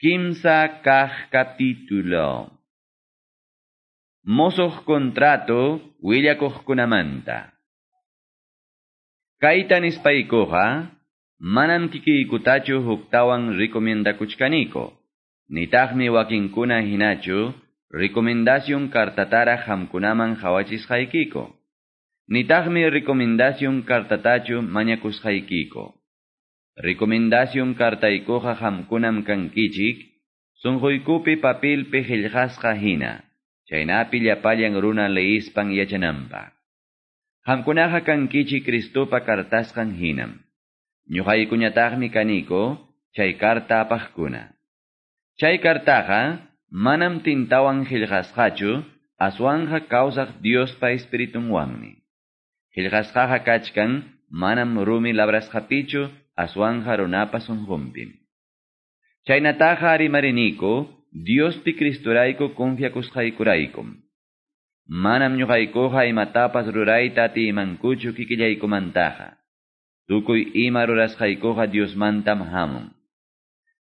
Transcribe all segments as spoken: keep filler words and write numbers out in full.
Kimsa kaq capítulo. Mosoq contrato willakuqkunamanta. Kayta nispaykuqa manam kikiykutachu huktawan recomendakuchkaniko. Nitaqmi wakinkuna hinachu recomendación kartatara hamkunaman hawachisqaykiko. Nitaqmi recomendación kartatachu mañakusqaykiko. Recomendación kartaykuqa hamkunam kankichik, sunquykupi papilpi qillqasqa hina, chaynapi llapallan runa leispan yachananpaq. Hamkunaqa kankichik Cristopa kartasqan hinam. Ñuqaykuñataqmi kaniko chay karta apaqkuna. Chay kartaqa manam tintawan qillqasqachu, aswanqa kawsaq Diospa espiritunwanmi. Qillqasqaqa kachkan manam rumi labrasqapichu, aswanja runapa sunqunpim. Chaynataqa rimariniko Diospi Cristorayku confiakusqaykuraykum. Manam ñuqaykuqa imatapas rurayta atiymankuchu kikillaykumantaqa. Tukuy ima rurasqaykuqa Diosmantam hamun.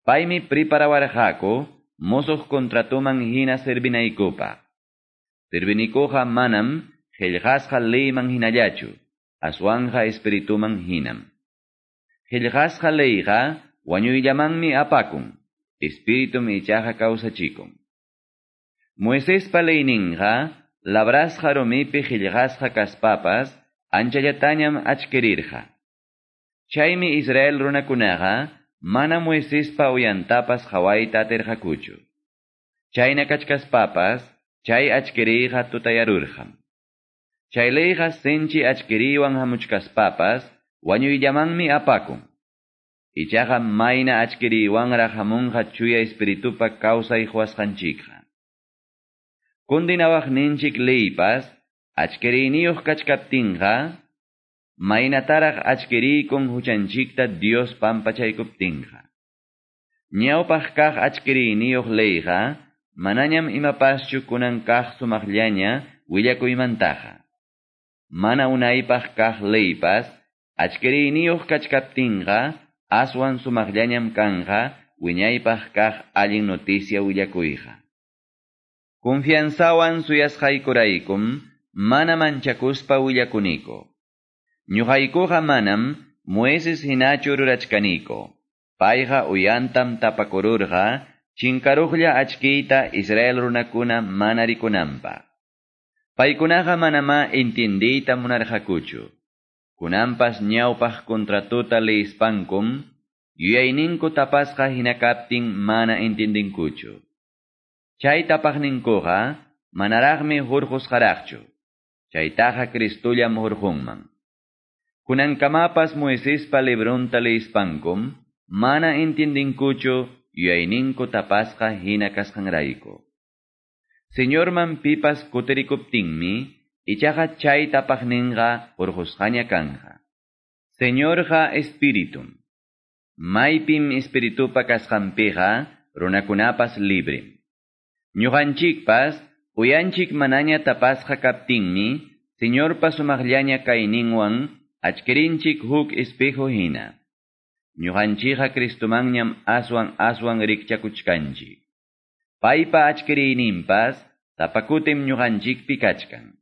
Paymi preparawarqaku mosoq contratoman hina servinaykupaq. Servinikuqa manam qillqasqa leyman hinallachu, aswanja espirituman hinam. Qillqasqa leyqa wañuyllamanmi apakun, espiritum ichaqa kawsachikun. Moisespa leyninqa labrasqa rumipi qillqasqa kaspapas anchallatañam achkirirqa. Chaymi Israel runakunaqa mana Moisespa uyantapas qhawayta atirqakuchu. Chayna kachkaspapas chay achkiriyqa tutayarurqam. Chay leyqa sinchi achkiriywan hamuchkaspapas wañuyllamanmi apakun. Ichaqa mayna achkiriywanraq hamunqa chuya espiritupa kawsay quwasqanchikqa. Kundinawaqninchik leypas achkiriyniyuq kachkaptinqa maynataraq achkiriykun huchanchikta Dios pampachaykuptinqa. Ñawpaq kaq achkiriyniyuq leyqa manañam imapaschu kunan kaq sumaqllaña willakuymantaqa. Mana unaypaq kaq leypas achkiriyniyuq kachkaptinqa aswan sumaqllañam kanqa wiñaypaq kaq allin noticia willakuyqa. Confianzawan suyasqaykuraykum mana manchakuspa willakuniko. Ñuqaykuqa manam Moises hinachu rurachkaniko. Payqa uyantam tapakururqa chinkaruqlla achkiyta Israel runakuna mana rikunanpaq. Paykunaqa manamá entendiyta munarqakuchu. Kunanpas ñawpaq contratota leispankum, yuyayninku tapasqa hina kaptin mana entendinkuchu. Chay tapaqninkuqa manaraqmi hurqusqaraqchu. Chaytaqa Cristollam hurqunman. Kunankamapas Moisespa libronta leispankum, mana entendinkuchu yuyayninku tapasqa hina kasqanrayku. Señorman pipas kutirikuptinmi, ichaqa chay tapaqninqa hurqusqaña kanqa. Señorqa espiritum. Maypim espiritupa kasqanpiqa runakunapas librim. Ñuqanchikpas uyanchik manaña tapasqa kaptinmi, Señorpa sumaqllaña kayninwan achkirinchik huk espejo hina. Ñuqanchikqa Cristomanñam aswan aswan rikchakuchkanchik. Paypa achkiriyninpas tapakutim ñuqanchikpi kachkan.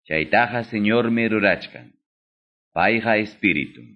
Chaytaqa Señormi rurachkan. Payqa espiritum.